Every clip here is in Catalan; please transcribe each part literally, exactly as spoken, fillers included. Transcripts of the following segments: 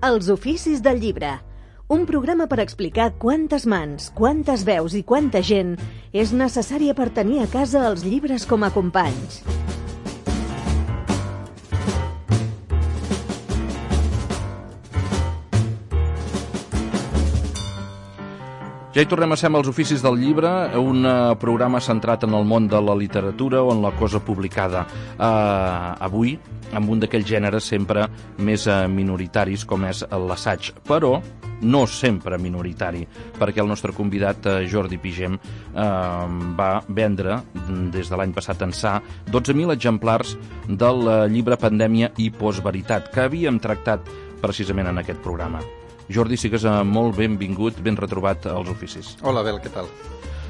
Els oficis del llibre. Un programa per explicar quantes mans, quantes veus i quanta gent és necessària per tenir a casa els llibres com a companys. Ja hi tornem a ser amb els oficis del llibre, un programa centrat en el món de la literatura o en la cosa publicada. Uh, avui, amb un d'aquells gèneres sempre més uh, minoritaris, com és l'assaig, però no sempre minoritari, perquè el nostre convidat, uh, Jordi Pigem, uh, va vendre, des de l'any passat ençà, dotze mil exemplars del uh, llibre Pandèmia i Postveritat, que havíem tractat precisament en aquest programa. Jordi, sigues molt benvingut, ben retrobat als oficis. Hola, Bel, què tal?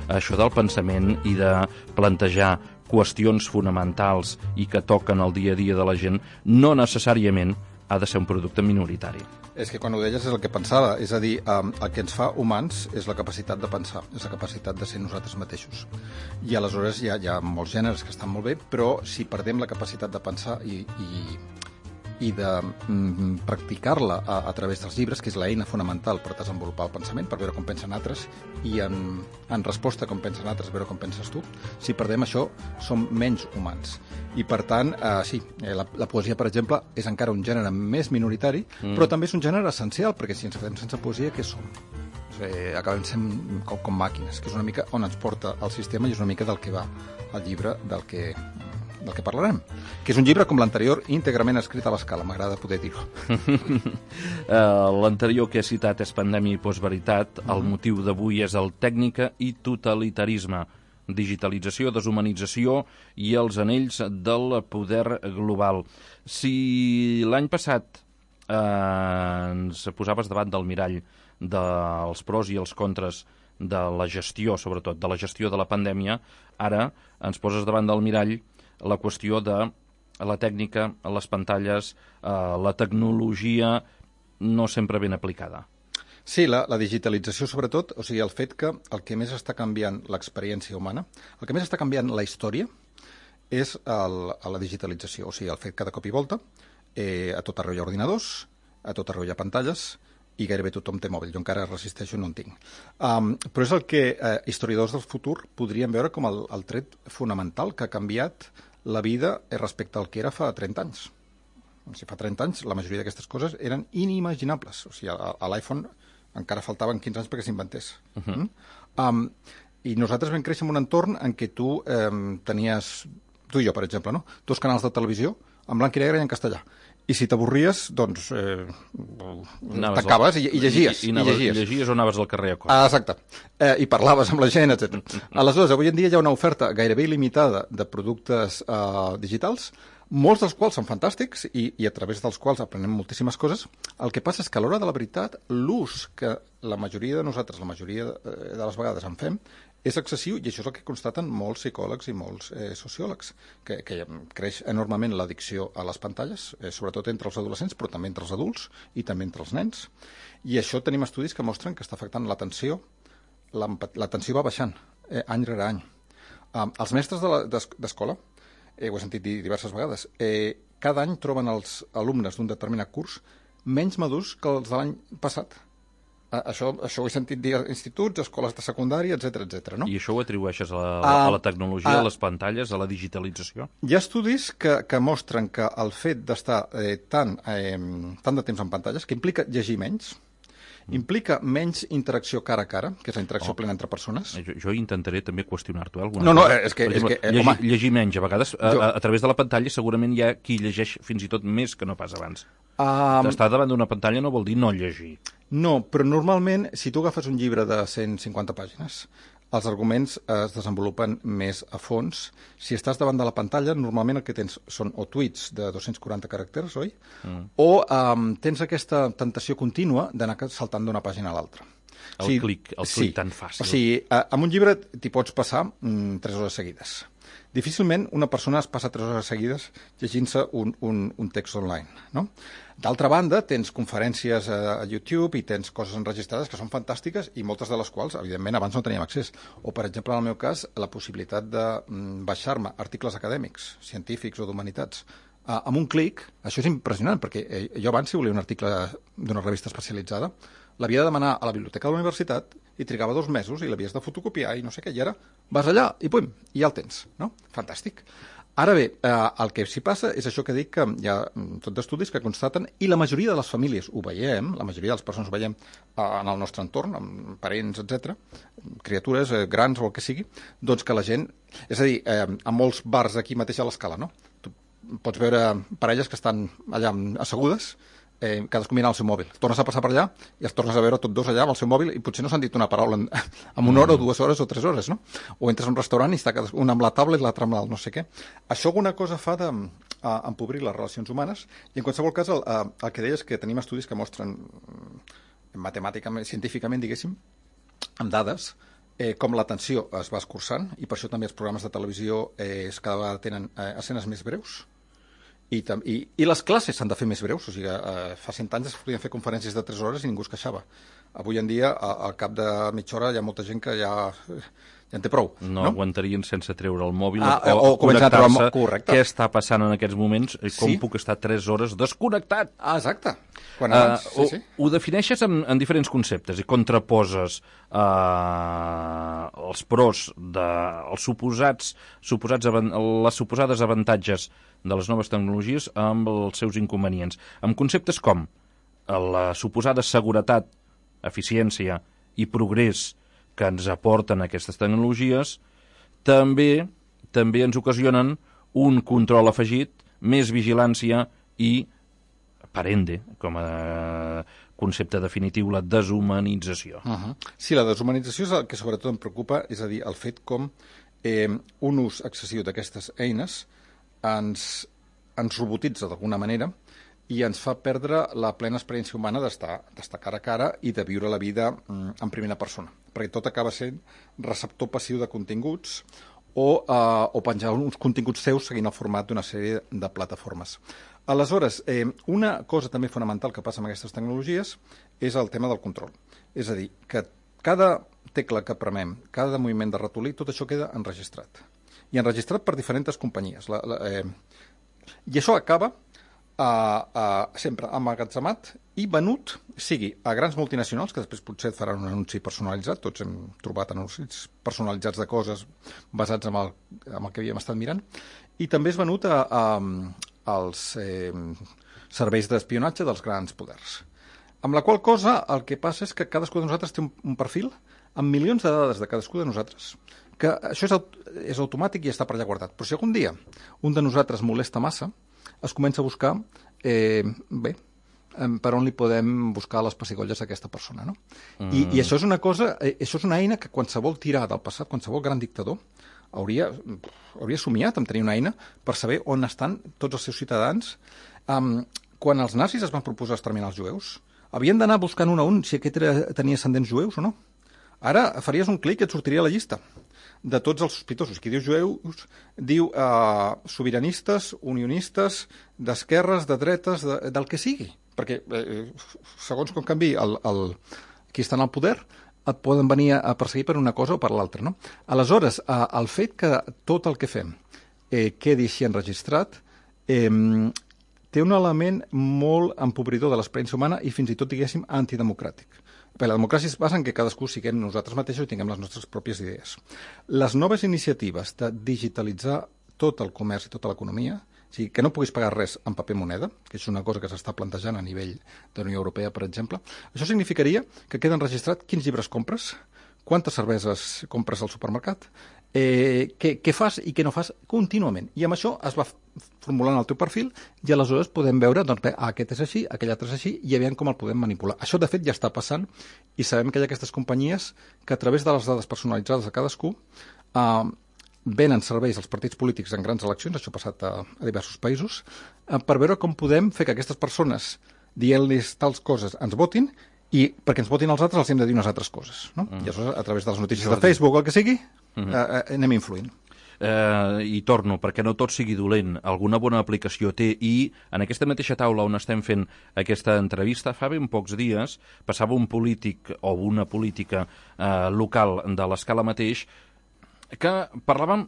Això del pensament i de plantejar qüestions fonamentals i que toquen el dia a dia de la gent no necessàriament ha de ser un producte minoritari. És que quan ho deies és el que pensava, és a dir, el que ens fa humans és la capacitat de pensar, és la capacitat de ser nosaltres mateixos. I aleshores hi ha, hi ha molts gèneres que estan molt bé, però si perdem la capacitat de pensar i... i i de mm, practicar-la a, a través dels llibres, que és l'eina fonamental per desenvolupar el pensament, per veure com pensen altres, i en, en resposta a com pensen altres, veure com penses tu. Si perdem això, som menys humans. I, per tant, eh, sí, la, la poesia, per exemple, és encara un gènere més minoritari, mm. però també és un gènere essencial, perquè si ens quedem sense poesia, què som? Eh, acabem sent com, com màquines, que és una mica on ens porta el sistema i és una mica del que va el llibre del que... del que parlarem, que és un llibre com l'anterior íntegrament escrit a l'escala, m'agrada poder dir-ho. uh, L'anterior que he citat és Pandèmia i Postveritat, uh -huh. El motiu d'avui és el Tècnica i Totalitarisme, digitalització, deshumanització i els anells del poder global. Si l'any passat eh, ens posaves davant del mirall dels pros i els contres de la gestió, sobretot, de la gestió de la pandèmia, ara ens poses davant del mirall la qüestió de la tècnica, les pantalles, eh, la tecnologia no sempre ben aplicada. Sí, la, la digitalització sobretot, o sigui, el fet que el que més està canviant l'experiència humana, el que més està canviant la història és el, la digitalització, o sigui, el fet que de cop i volta eh, a tot arreu hi ha ordinadors, a tot arreu hi ha pantalles, i gairebé tothom té mòbil. Jo encara resisteixo, no en tinc. Um, però és el que eh, historiadors del futur podrien veure com el, el tret fonamental que ha canviat la vida respecte al que era fa trenta anys. Si fa trenta anys, la majoria d'aquestes coses eren inimaginables. O sigui, a, a l'iPhone encara faltaven quinze anys perquè s'inventés. Uh-huh. mm? um, I nosaltres vam créixer en un entorn en què tu eh, tenies, tu i jo, per exemple, no? dos canals de televisió en blanc i negre i en castellà. I si t'avorries, doncs eh, t'acabaves i, i llegies. I, i, i, anaves, i llegies. I llegies o anaves al carrer a cor. Ah, exacte. Eh, I parlaves amb la gent, etcètera. Aleshores, avui en dia hi ha una oferta gairebé il·limitada de productes eh, digitals, molts dels quals són fantàstics i, i a través dels quals aprenem moltíssimes coses. El que passa és que a l'hora de la veritat, l'ús que la majoria de nosaltres, la majoria de, de les vegades en fem, és excessiu, i això és el que constaten molts psicòlegs i molts eh, sociòlegs, que, que creix enormement l'addicció a les pantalles, eh, sobretot entre els adolescents, però també entre els adults i també entre els nens. I això tenim estudis que mostren que està afectant l'atenció, l'atenció va baixant eh, any rere any. Um, els mestres d'escola, de eh, ho he sentit dir diverses vegades, eh, cada any troben els alumnes d'un determinat curs menys madurs que els de l'any passat. Això, això ho he sentit dir a instituts, escoles de secundària, etcètera, etcètera, no? I això ho atribueixes a la, a, a la tecnologia, a, a les pantalles, a la digitalització? Hi ha estudis que, que mostren que el fet d'estar eh, tant, eh, tant de temps en pantalles, que implica llegir menys, mm. implica menys interacció cara a cara, que és la interacció oh. plena entre persones. Jo, jo intentaré també qüestionar-t'ho alguna no, no, cosa. És que, exemple, és que, eh, llegir, home, llegir menys, a vegades, a, a, a través de la pantalla segurament hi ha qui llegeix fins i tot més que no pas abans. Um, Estar davant d'una pantalla no vol dir no llegir. No, però normalment, si tu agafes un llibre de cent cinquanta pàgines, els arguments es desenvolupen més a fons. Si estàs davant de la pantalla, normalment el que tens són o tuits de dos-cents quaranta caràcters, oi? Mm. O um, tens aquesta tentació contínua d'anar saltant d'una pàgina a l'altra. El o sigui, clic, el clic sí. tan fàcil. O sigui, amb un llibre t'hi pots passar mm, tres hores seguides. Difícilment una persona es passa tres hores seguides llegint-se un, un, un text online, no? D'altra banda, tens conferències a, a YouTube i tens coses enregistrades que són fantàstiques i moltes de les quals, evidentment, abans no teníem accés. O, per exemple, en el meu cas, la possibilitat de mm, baixar-me articles acadèmics, científics o d'humanitats Uh, amb un clic, això és impressionant, perquè eh, jo abans, si volia un article d'una revista especialitzada, l'havia de demanar a la biblioteca de la universitat i trigava dos mesos i l'havies de fotocopiar i no sé què, i ara vas allà i pum, i ja el tens, no? Fantàstic. Ara bé, eh, el que s'hi passa és això que dic, que hi ha tot d'estudis que constaten, i la majoria de les famílies ho veiem, la majoria de les persones ho veiem eh, en el nostre entorn, amb parents, etcètera, criatures eh, grans o el que sigui, doncs que la gent, és a dir, eh, a molts bars aquí mateix a l'Escala, no? Tu pots veure parelles que estan allà assegudes, eh, cadascú mirant el seu mòbil. Tornes a passar per allà i els tornes a veure tots dos allà amb el seu mòbil i potser no s'han dit una paraula en, en una hora o dues hores o tres hores, no? O entres a un restaurant i està un amb la taula i l'altre amb el no sé què. Això alguna cosa fa d'empobrir les relacions humanes i en qualsevol cas el, el que deies que tenim estudis que mostren matemàticament, científicament, diguéssim, amb dades, eh, com l'atenció es va escurçant i per això també els programes de televisió eh, cada vegada tenen eh, escenes més breus. I, i, i les classes s'han de fer més breus, o sigui, eh, fa cent anys es podien fer conferències de tres hores i ningú es queixava. Avui en dia, a, al cap de mitja hora, hi ha molta gent que ja, ja en té prou. No, no? aguantarien sense treure el mòbil ah, o, o connectar-se. Correcte. Què està passant en aquests moments? Com sí? puc estar tres hores desconnectat? Ah, exacte. Quan abans, uh, sí, sí. Ho, ho defineixes en, en diferents conceptes i contraposes uh, els pros de els suposats, suposats les suposades avantatges de les noves tecnologies amb els seus inconvenients. Amb conceptes com la suposada seguretat, eficiència i progrés que ens aporten aquestes tecnologies, també també ens ocasionen un control afegit, més vigilància i, per ende, com a concepte definitiu, la deshumanització. Uh -huh. Sí, la deshumanització és el que sobretot em preocupa, és a dir, el fet com eh, un ús excessiu d'aquestes eines ens, ens robotitza d'alguna manera i ens fa perdre la plena experiència humana d'estar d'estar cara a cara i de viure la vida mm, en primera persona, perquè tot acaba sent receptor passiu de continguts o, uh, o penjar uns continguts seus seguint el format d'una sèrie de plataformes. Aleshores, eh, una cosa també fonamental que passa amb aquestes tecnologies és el tema del control. És a dir, que cada tecla que premem, cada moviment de ratolí, tot això queda enregistrat. I enregistrat per diferents companyies. La, la, eh, I això acaba Uh, uh, sempre emmagatzemat i venut, sigui a grans multinacionals, que després potser et faran un anunci personalitzat, tots hem trobat anuncis personalitzats de coses basats en el, en el que havíem estat mirant, i també és venut a, a, als eh, serveis d'espionatge dels grans poders. Amb la qual cosa el que passa és que cadascú de nosaltres té un, un perfil amb milions de dades de cadascú de nosaltres, que això és, és automàtic i està per allà guardat. Però si algun dia un de nosaltres molesta massa, es comença a buscar, eh, bé, per on li podem buscar les pessigolles d'aquesta persona, no? Mm. I, I això és una cosa, eh, això és una eina que qualsevol tirà del passat, qualsevol gran dictador, hauria, hauria somiat en tenir una eina per saber on estan tots els seus ciutadans. Um, quan els nazis es van proposar exterminar els jueus, havien d'anar buscant un a un si aquest era, tenia ascendents jueus o no. Ara faries un clic i et sortiria la llista de tots els sospitosos. Qui diu jueus diu eh, sobiranistes, unionistes, d'esquerres, de dretes, de, del que sigui. Perquè eh, segons com canvi el, el, qui està en el poder et poden venir a perseguir per una cosa o per l'altra, no? Aleshores, eh, el fet que tot el que fem eh, quedi així enregistrat eh, té un element molt empobridor de l'experiència humana i fins i tot, diguéssim, antidemocràtic. Perquè la democràcia es basa en que cadascú siguem nosaltres mateixos i tinguem les nostres pròpies idees. Les noves iniciatives de digitalitzar tot el comerç i tota l'economia, o sigui, que no puguis pagar res en paper moneda, que és una cosa que s'està plantejant a nivell de la Unió Europea, per exemple, això significaria que queda enregistrat quins llibres compres, quantes cerveses compres al supermercat, eh, què, què fas i què no fas contínuament. I amb això es va formulant el teu perfil i aleshores podem veure, doncs bé, aquest és així, aquell altre és així, i veiem com el podem manipular. Això, de fet, ja està passant i sabem que hi ha aquestes companyies que a través de les dades personalitzades de cadascú eh, venen serveis als partits polítics en grans eleccions, això ha passat a, a diversos països, eh, per veure com podem fer que aquestes persones, dient-los tals coses, ens votin, i perquè ens votin els altres els hem de dir unes altres coses, no? Mm. I aleshores, a través de les notícies Jordi. de Facebook o el que sigui, mm -hmm. eh, anem influint. Eh, I torno, perquè no tot sigui dolent, alguna bona aplicació té, i en aquesta mateixa taula on estem fent aquesta entrevista, fa ben pocs dies, passava un polític o una política eh, local de l'Escala mateix que parlàvem,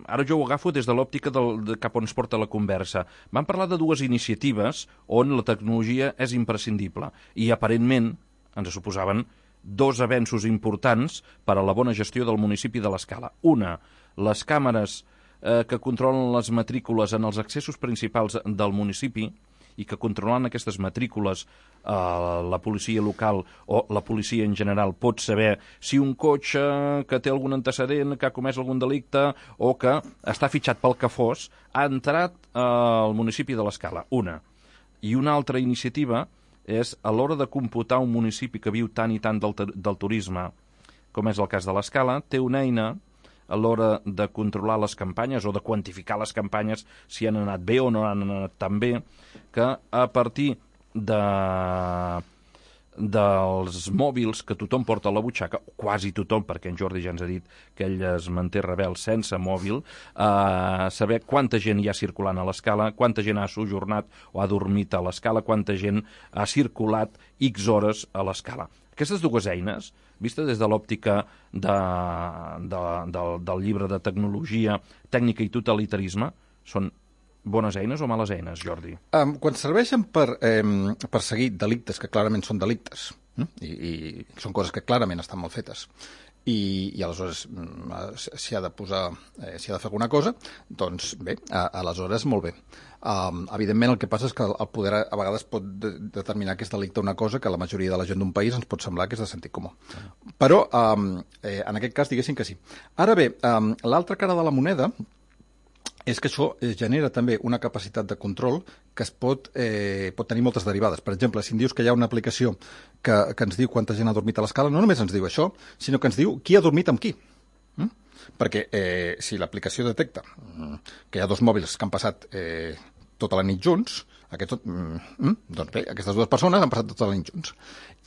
ara jo ho agafo des de l'òptica del, de cap on es porta la conversa, vam parlar de dues iniciatives on la tecnologia és imprescindible i aparentment ens suposaven dos avenços importants per a la bona gestió del municipi de l'Escala. Una, les càmeres eh, que controlen les matrícules en els accessos principals del municipi i que controlant aquestes matrícules eh, la policia local o la policia en general pot saber si un cotxe que té algun antecedent, que ha comès algun delicte o que està fitxat pel que fos, ha entrat eh, al municipi de l'Escala. Una. I una altra iniciativa és a l'hora de computar un municipi que viu tant i tant del, del turisme, com és el cas de l'Escala, té una eina a l'hora de controlar les campanyes o de quantificar les campanyes si han anat bé o no han anat tan bé, que a partir de, dels mòbils que tothom porta a la butxaca, quasi tothom, perquè en Jordi ja ens ha dit que ell es manté rebel sense mòbil, eh, saber quanta gent hi ha circulant a l'Escala, quanta gent ha sojornat o ha dormit a l'Escala, quanta gent ha circulat X hores a l'Escala. Aquestes dues eines, vista des de l'òptica de, de, de, del llibre de tecnologia, tècnica i totalitarisme, són bones eines o males eines, Jordi? Um, quan serveixen per eh, perseguir delictes que clarament són delictes, eh? I, i són coses que clarament estan mal fetes, i, i aleshores s'hi ha de posar, eh, s'hi ha de fer alguna cosa, doncs bé, a, aleshores molt bé. Um, evidentment el que passa és que el poder a, a vegades pot de, determinar que és delicte una cosa que a la majoria de la gent d'un país ens pot semblar que és de sentit comú. Però um, eh, en aquest cas diguéssim que sí. Ara bé, um, l'altra cara de la moneda és que això genera també una capacitat de control que es pot, eh, pot tenir moltes derivades. Per exemple, si em dius que hi ha una aplicació que, que ens diu quanta gent ha dormit a l'Escala, no només ens diu això, sinó que ens diu qui ha dormit amb qui. Mm? Perquè eh, si l'aplicació detecta que hi ha dos mòbils que han passat eh, tota la nit junts, aquest, mm, doncs bé, aquestes dues persones han passat tota la nit junts.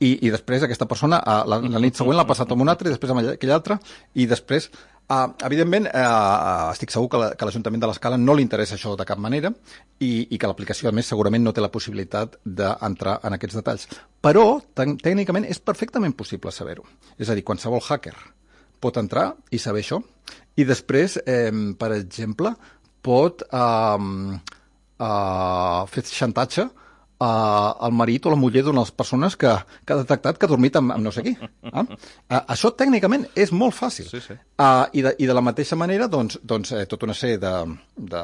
I, i després aquesta persona la, la nit següent l'ha passat amb un altre, i després amb aquell altre, i després... Uh, evidentment, uh, estic segur que, la, que l'Ajuntament de l'Escala no li interessa això de cap manera i, i que l'aplicació, a més, segurament no té la possibilitat d'entrar en aquests detalls. Però, tècnicament, és perfectament possible saber-ho. És a dir, qualsevol hacker pot entrar i saber això i després, eh, per exemple, pot uh, uh, fer xantatge Uh, el marit o la muller d'una de les persones que, que ha detectat que ha dormit amb, amb no sé qui. Ah? Uh, això tècnicament és molt fàcil. Sí, sí. Uh, i, de, I de la mateixa manera, doncs, doncs eh, tota una sèrie de, de,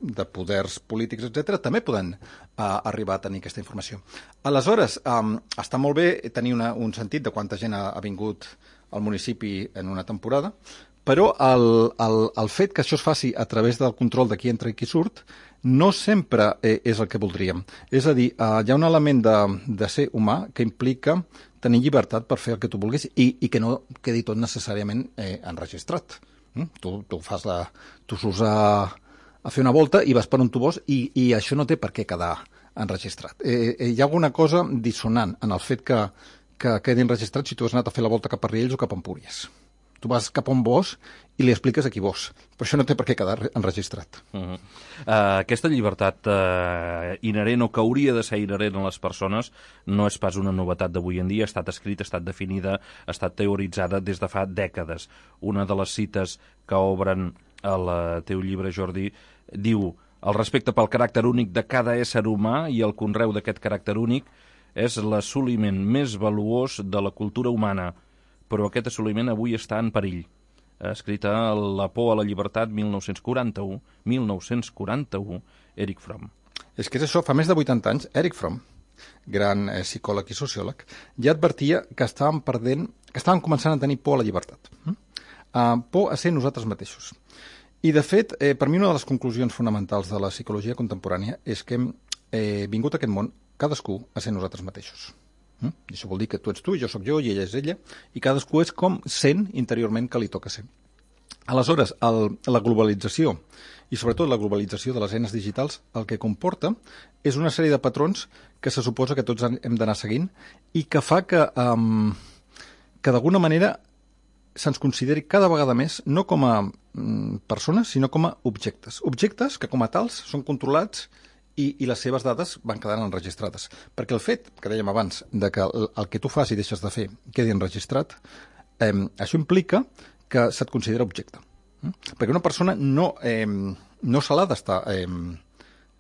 de poders polítics, etcètera, també poden uh, arribar a tenir aquesta informació. Aleshores, um, està molt bé tenir una, un sentit de quanta gent ha, ha vingut al municipi en una temporada, però el, el, el fet que això es faci a través del control de qui entra i qui surt no sempre eh, és el que voldríem. És a dir, eh, hi ha un element de, de ser humà que implica tenir llibertat per fer el que tu vulguis i, i que no quedi tot necessàriament eh, enregistrat. Mm? Tu, tu, fas la, tu surts a, a fer una volta i vas per on tu vols i, i això no té per què quedar enregistrat. Eh, eh, hi ha alguna cosa dissonant en el fet que, que quedi enregistrat si tu has anat a fer la volta cap a Riells o cap a Empúries. Tu vas cap on vols i li expliques a qui vols. Però això no té per què quedar enregistrat. Uh -huh. uh, aquesta llibertat uh, inherent o que hauria de ser inherent a les persones no és pas una novetat d'avui en dia, ha estat escrita, ha estat definida, ha estat teoritzada des de fa dècades. Una de les cites que obren el teu llibre, Jordi, diu: el respecte pel caràcter únic de cada ésser humà i el conreu d'aquest caràcter únic és l'assoliment més valuós de la cultura humana, però aquest assoliment avui està en perill. Escrita La por a la llibertat, mil nou-cents quaranta-u, mil nou-cents quaranta-u, Erich Fromm. És que és això, fa més de vuitanta anys, Erich Fromm, gran eh, psicòleg i sociòleg, ja advertia que estàvem perdent, que estàvem començant a tenir por a la llibertat. Mm? Uh, por a ser nosaltres mateixos. I, de fet, eh, per mi una de les conclusions fonamentals de la psicologia contemporània és que hem eh, vingut a aquest món cadascú a ser nosaltres mateixos. Mm? I això vol dir que tu ets tu, jo sóc jo i ella és ella, i cadascú és com sent interiorment que li toca ser. Aleshores, el, la globalització, i sobretot la globalització de les eines digitals, el que comporta és una sèrie de patrons que se suposa que tots hem d'anar seguint i que fa que, um, que d'alguna manera se'ns consideri cada vegada més no com a um, persones, sinó com a objectes. Objectes que com a tals són controlats I, i les seves dades van quedant enregistrades. Perquè el fet, que dèiem abans, de que el, el que tu fas i deixes de fer quedi enregistrat, eh, això implica que se't considera objecte. Mm? Perquè una persona no, eh, no se l'ha d'estar eh,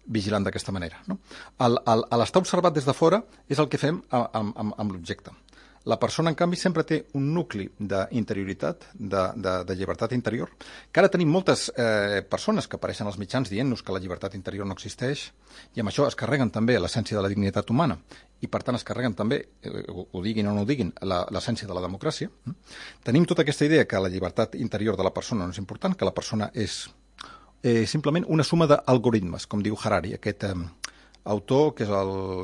vigilant d'aquesta manera. No? L'estar observat des de fora és el que fem amb, amb, amb l'objecte. La persona, en canvi, sempre té un nucli d'interioritat, de, de, de llibertat interior, que ara tenim moltes eh, persones que apareixen als mitjans dient-nos que la llibertat interior no existeix, i amb això es carreguen també l'essència de la dignitat humana, i per tant es carreguen també, eh, ho diguin o no ho diguin, l'essència de la democràcia. Tenim tota aquesta idea que la llibertat interior de la persona no és important, que la persona és eh, simplement una suma d'algoritmes, com diu Harari, aquest... Eh, autor, que és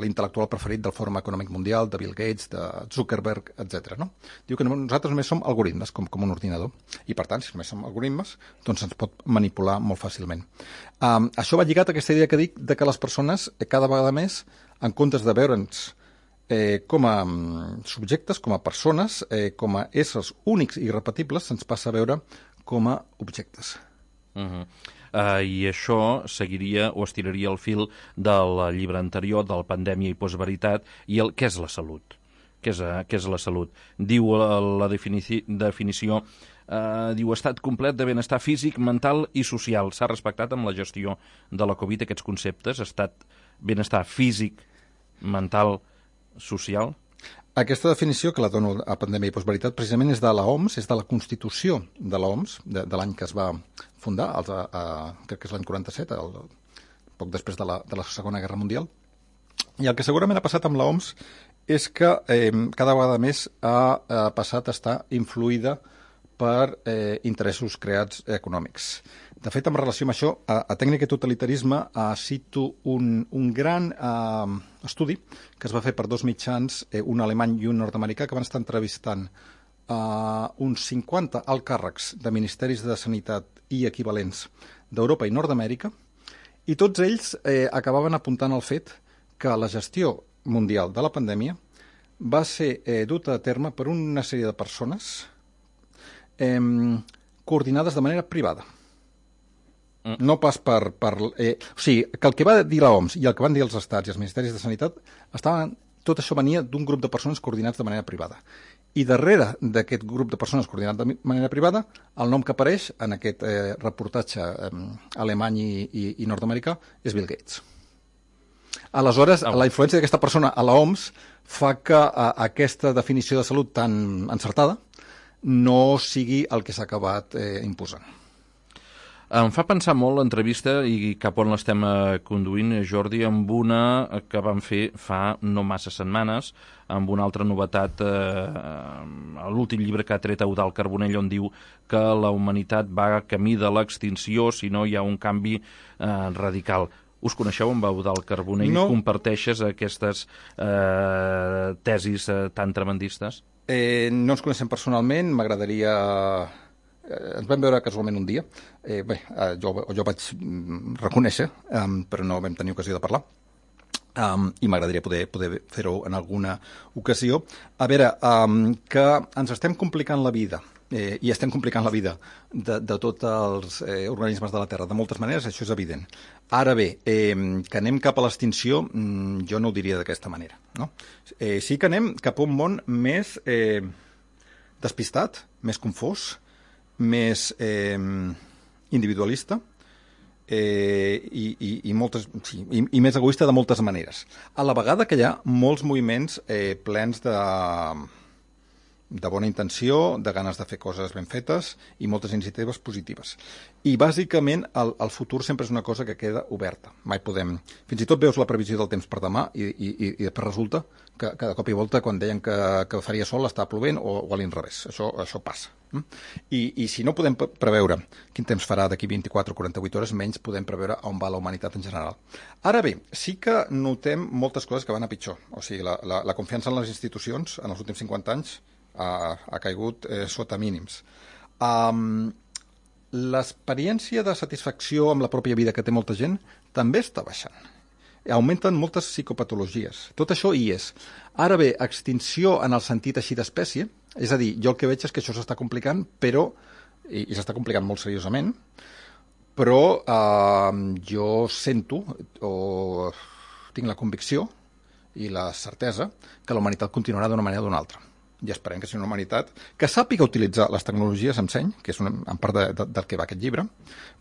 l'intel·lectual preferit del Fòrum Econòmic Mundial, de Bill Gates, de Zuckerberg, etcètera. No? Diu que nosaltres només som algoritmes, com, com un ordinador, i per tant, si només som algoritmes, doncs ens pot manipular molt fàcilment. Um, això va lligat a aquesta idea que dic de que les persones, cada vegada més, en comptes de veure'ns eh, com a um, subjectes, com a persones, eh, com a éssers únics i irrepetibles, se'ns passa a veure com a objectes. Uh-huh. Uh, I això seguiria o estiraria el fil del llibre anterior, del Pandèmia i Postveritat, i el què és la salut? Què és, uh, què és la salut? Diu la, la definici, definició, uh, diu estat complet de benestar físic, mental i social. S'ha respectat amb la gestió de la Covid aquests conceptes, estat benestar físic, mental, social? Aquesta definició, que la dono a Pandèmia i Postveritat, precisament és de l'O M S, és de la Constitució de l'O M S, de, de l'any que es va fundar, el, a, a, crec que és l'any quaranta-set, el, poc després de la, de la Segona Guerra Mundial. I el que segurament ha passat amb l'O M S és que eh, cada vegada més ha, ha passat a estar influïda per eh, interessos creats econòmics. De fet, en relació amb això, a, a Tècnica i Totalitarisme eh, cito un, un gran eh, estudi que es va fer per dos mitjans, eh, un alemany i un nord-americà, que van estar entrevistant eh, uns cinquanta alts càrrecs de ministeris de sanitat i equivalents d'Europa i Nord-Amèrica, i tots ells eh, acabaven apuntant al fet que la gestió mundial de la pandèmia va ser eh, duta a terme per una sèrie de persones eh, coordinades de manera privada. No pas per... per eh, o sigui, que el que va dir l'O M S i el que van dir els estats i els ministeris de sanitat, estaven, tot això venia d'un grup de persones coordinats de manera privada. I darrere d'aquest grup de persones coordinats de manera privada, el nom que apareix en aquest eh, reportatge eh, alemany i, i, i nord-americà és Bill Gates. Aleshores, oh. la influència d'aquesta persona a l'O M S fa que eh, aquesta definició de salut tan encertada no sigui el que s'ha acabat eh, imposant. Em fa pensar molt l'entrevista i cap on l'estem conduint, Jordi, amb una que vam fer fa no massa setmanes, amb una altra novetat, eh, l'últim llibre que ha tret Eudald Carbonell, on diu que la humanitat va camí de l'extinció si no hi ha un canvi eh, radical. Us coneixeu amb Eudald Carbonell? No. Comparteixes aquestes eh, tesis eh, tan tremendistes? Eh, no ens coneixem personalment, m'agradaria... Ens vam veure casualment un dia. Eh, bé, jo, jo vaig reconèixer, um, però no vam tenir ocasió de parlar. Um, I m'agradaria poder, poder fer-ho en alguna ocasió. A veure, um, que ens estem complicant la vida, eh, i estem complicant la vida de, de tots els eh, organismes de la Terra, de moltes maneres, això és evident. Ara bé, eh, que anem cap a l'extinció, mm, jo no ho diria d'aquesta manera. No? Eh, sí que anem cap a un món més eh, despistat, més confós, més eh, individualista eh, i, i, i, moltes, sí, i, i més egoista de moltes maneres. A la vegada que hi ha molts moviments eh, plens de, de bona intenció, de ganes de fer coses ben fetes i moltes iniciatives positives. I bàsicament el, el futur sempre és una cosa que queda oberta. Mai podem... Fins i tot veus la previsió del temps per demà i, i, i després resulta que cada cop i volta quan deien que, que faria sol està plovent o, o a l'inrevés. Això, això passa. I, I si no podem preveure quin temps farà d'aquí vint-i-quatre o quaranta-vuit hores, menys podem preveure on va la humanitat en general. Ara bé, sí que notem moltes coses que van a pitjor. O sigui, la, la, la confiança en les institucions en els últims cinquanta anys ha, ha caigut eh, sota mínims. Um, L'experiència de satisfacció amb la pròpia vida que té molta gent també està baixant. Augmenten moltes psicopatologies. Tot això hi és. Ara bé, extinció en el sentit així d'espècie, és a dir, jo el que veig és que això s'està complicant, però, i, i s'està complicant molt seriosament, però eh, jo sento o tinc la convicció i la certesa que la humanitat continuarà d'una manera o d'una altra. i esperem que sigui una humanitat que sàpiga utilitzar les tecnologies amb seny, que és una, en part de, de, del que va aquest llibre,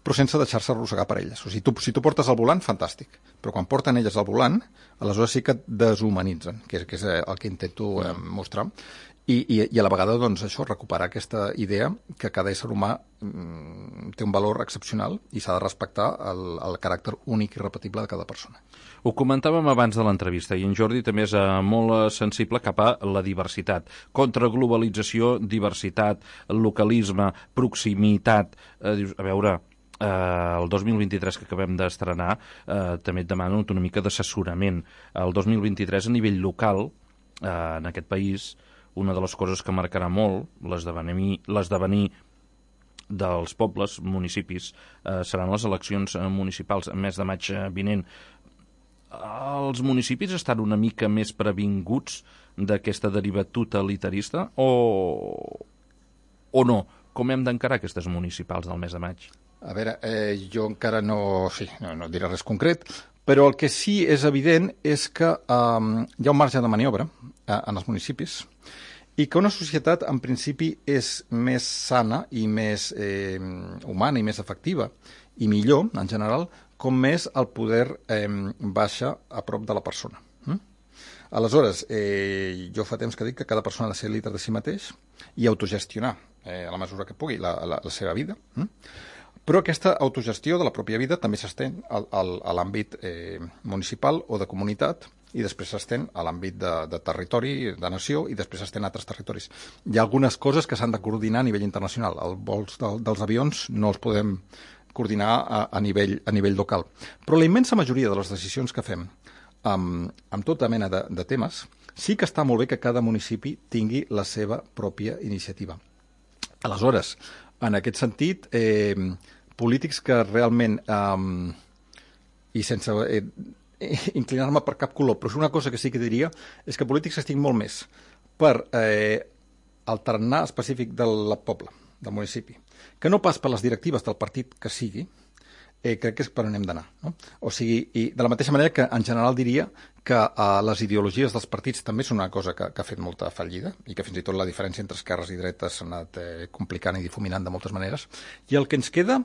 però sense deixar-se arrossegar per elles. O sigui, tu, si tu portes el volant, fantàstic, però quan porten elles el volant, aleshores sí que et deshumanitzen, que és, que és el que intento eh, mostrar. I, i, i a la vegada, doncs, això, recuperar aquesta idea que cada ésser humà mm, té un valor excepcional i s'ha de respectar el, el caràcter únic i repetible de cada persona. Ho comentàvem abans de l'entrevista i en Jordi també és eh, molt sensible cap a la diversitat. Contra globalització, diversitat, localisme, proximitat. Eh, dius, a veure, eh, el dos mil vint-i-tres que acabem d'estrenar eh, també et demano una mica d'assessorament. El dos mil vint-i-tres a nivell local, eh, en aquest país, una de les coses que marcarà molt l'esdevenir dels pobles, municipis, eh, seran les eleccions municipals el mes de maig vinent. Els municipis estan una mica més previnguts d'aquesta deriva totalitarista o, o no? Com hem d'encarar aquestes municipals del mes de maig? A veure, eh, jo encara no, sí, no, no diré res concret, però el que sí és evident és que eh, hi ha un marge de maniobra eh, en els municipis i que una societat, en principi, és més sana i més eh, humana i més efectiva i millor, en general, com més el poder eh, baixa a prop de la persona. Mm? Aleshores, eh, jo fa temps que dic que cada persona ha de ser líder de si mateix i autogestionar, eh, a la mesura que pugui, la, la, la seva vida. Mm? Però aquesta autogestió de la pròpia vida també s'estén al, al, a l'àmbit eh, municipal o de comunitat i després s'estén a l'àmbit de, de territori, de nació, i després s'estén a altres territoris. Hi ha algunes coses que s'han de coordinar a nivell internacional. Els vols de, dels avions no els podem coordinar a, a, nivell, a nivell local. Però la immensa majoria de les decisions que fem amb, amb tota mena de, de temes, sí que està molt bé que cada municipi tingui la seva pròpia iniciativa. Aleshores, en aquest sentit, eh, polítics que realment, eh, i sense eh, inclinar-me per cap color, però és una cosa que sí que diria, és que polítics estic molt més per eh, el tarannà específic del poble, del municipi, que no pas per les directives del partit que sigui, eh, crec que és per on hem d'anar. No? O sigui, i de la mateixa manera que en general diria que eh, les ideologies dels partits també són una cosa que, que ha fet molta fallida i que fins i tot la diferència entre esquerres i dretes s'ha anat eh, complicant i difuminant de moltes maneres. I el que ens queda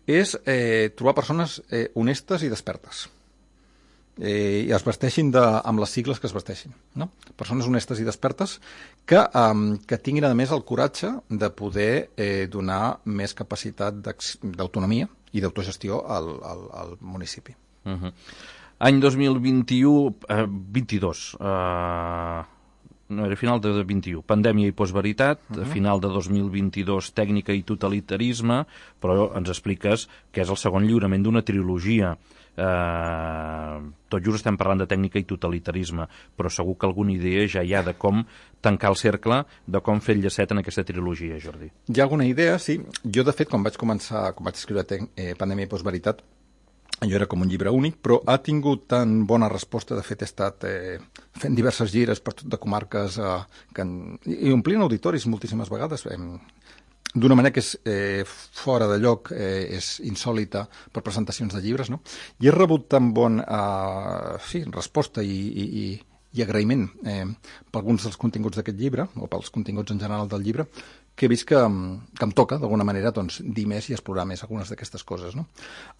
és eh, trobar persones eh, honestes i despertes. Eh, i es vesteixin de, amb les sigles que es vesteixin. No? Persones honestes i despertes que, um, que tinguin, a més, el coratge de poder eh, donar més capacitat d'autonomia i d'autogestió al, al, al municipi. Uh-huh. Any dos mil vint-i-u, eh, vint-i-dos, eh, no era final de vint-i-u, pandèmia i postveritat, uh-huh. Final de dos mil vint-i-dos, tècnica i totalitarisme, però ens expliques que és el segon lliurament d'una trilogia. Eh, tot just estem parlant de tècnica i totalitarisme, però segur que alguna idea ja hi ha de com tancar el cercle, de com fer el llacet en aquesta trilogia, Jordi. Hi ha alguna idea, sí. Jo, de fet, quan vaig començar, quan vaig escriure eh, Pandèmia i postveritat, jo era com un llibre únic, però ha tingut tan bona resposta. De fet, he estat eh, fent diverses gires per tot de comarques eh, que en, i omplint auditoris moltíssimes vegades, eh, d'una manera que és eh, fora de lloc, eh, és insòlita per presentacions de llibres, no? I he rebut tan bon eh, sí, resposta i, i, i, i agraïment eh, per alguns dels continguts d'aquest llibre, o pels continguts en general del llibre, que he vist que, que em toca, d'alguna manera, doncs, dir més i explorar més algunes d'aquestes coses, no?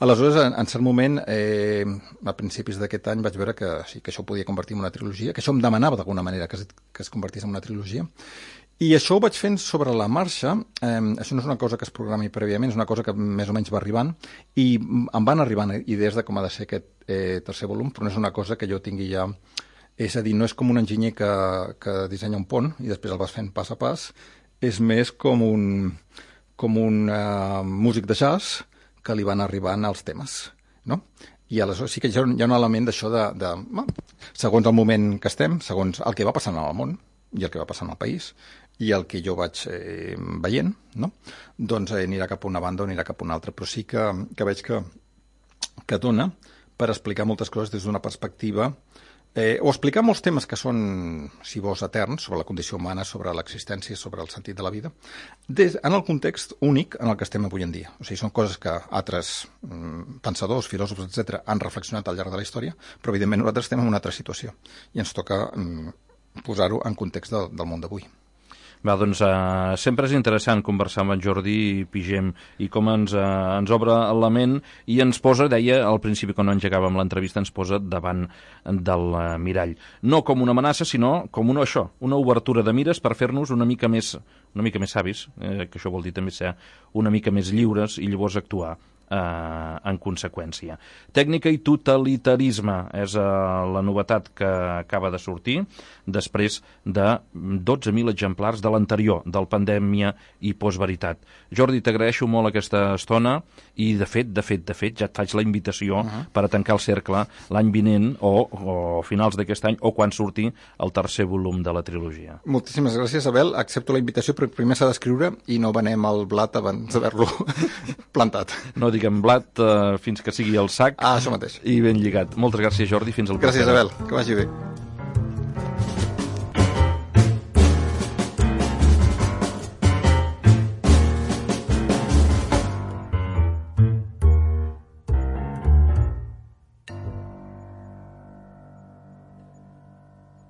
Aleshores, en, en cert moment, eh, a principis d'aquest any, vaig veure que, sí, que això ho podia convertir en una trilogia, que això em demanava d'alguna manera que es, que es convertís en una trilogia. I això ho vaig fent sobre la marxa. Eh, això no és una cosa que es programi prèviament, és una cosa que més o menys va arribant, i em van arribant idees de com ha de ser aquest eh, tercer volum, però no és una cosa que jo tingui ja... És a dir, no és com un enginyer que, que dissenya un pont i després el vas fent pas a pas, és més com un, com un uh, músic de jazz que li van arribant els temes, no? I aleshores sí que hi ha un, hi ha un element d'això de, de, de... Segons el moment que estem, segons el que va passant al món i el que va passant al país, i el que jo vaig eh, veient, no? Doncs eh, anirà cap a una banda o anirà cap a una altra, però sí que, que veig que, que dona per explicar moltes coses des d'una perspectiva, eh, o explicar molts temes que són, si vols, eterns, sobre la condició humana, sobre l'existència, sobre el sentit de la vida, des, en el context únic en el que estem avui en dia. O sigui, són coses que altres mm, pensadors, filòsofs, etcètera, han reflexionat al llarg de la història, però evidentment nosaltres estem en una altra situació i ens toca mm, posar-ho en context del, del món d'avui. Va, doncs uh, sempre és interessant conversar amb en Jordi Pigem i com ens, uh, ens obre la ment i ens posa, deia al principi quan engegàvem l'entrevista, ens posa davant del uh, mirall. No com una amenaça, sinó com una, això, una obertura de mires per fer-nos una mica més, una mica més savis, eh, que això vol dir també ser una mica més lliures i llavors actuar Eh, en conseqüència. Tècnica i totalitarisme és eh, la novetat que acaba de sortir després de dotze mil exemplars de l'anterior, del Pandèmia i Postveritat. Jordi, t'agraeixo molt aquesta estona i de fet, de fet, de fet, ja et faig la invitació uh-huh. per a tancar el cercle l'any vinent o, o finals d'aquest any o quan surti el tercer volum de la trilogia. Moltíssimes gràcies, Abel. Accepto la invitació, però primer s'ha d'escriure i no venem el blat abans d'haver-lo plantat. No diguem blat uh, fins que sigui el sac. Ah, això mateix. I ben lligat. Moltes gràcies, Jordi. Fins al proper. Gràcies, Abel. Que vagi bé.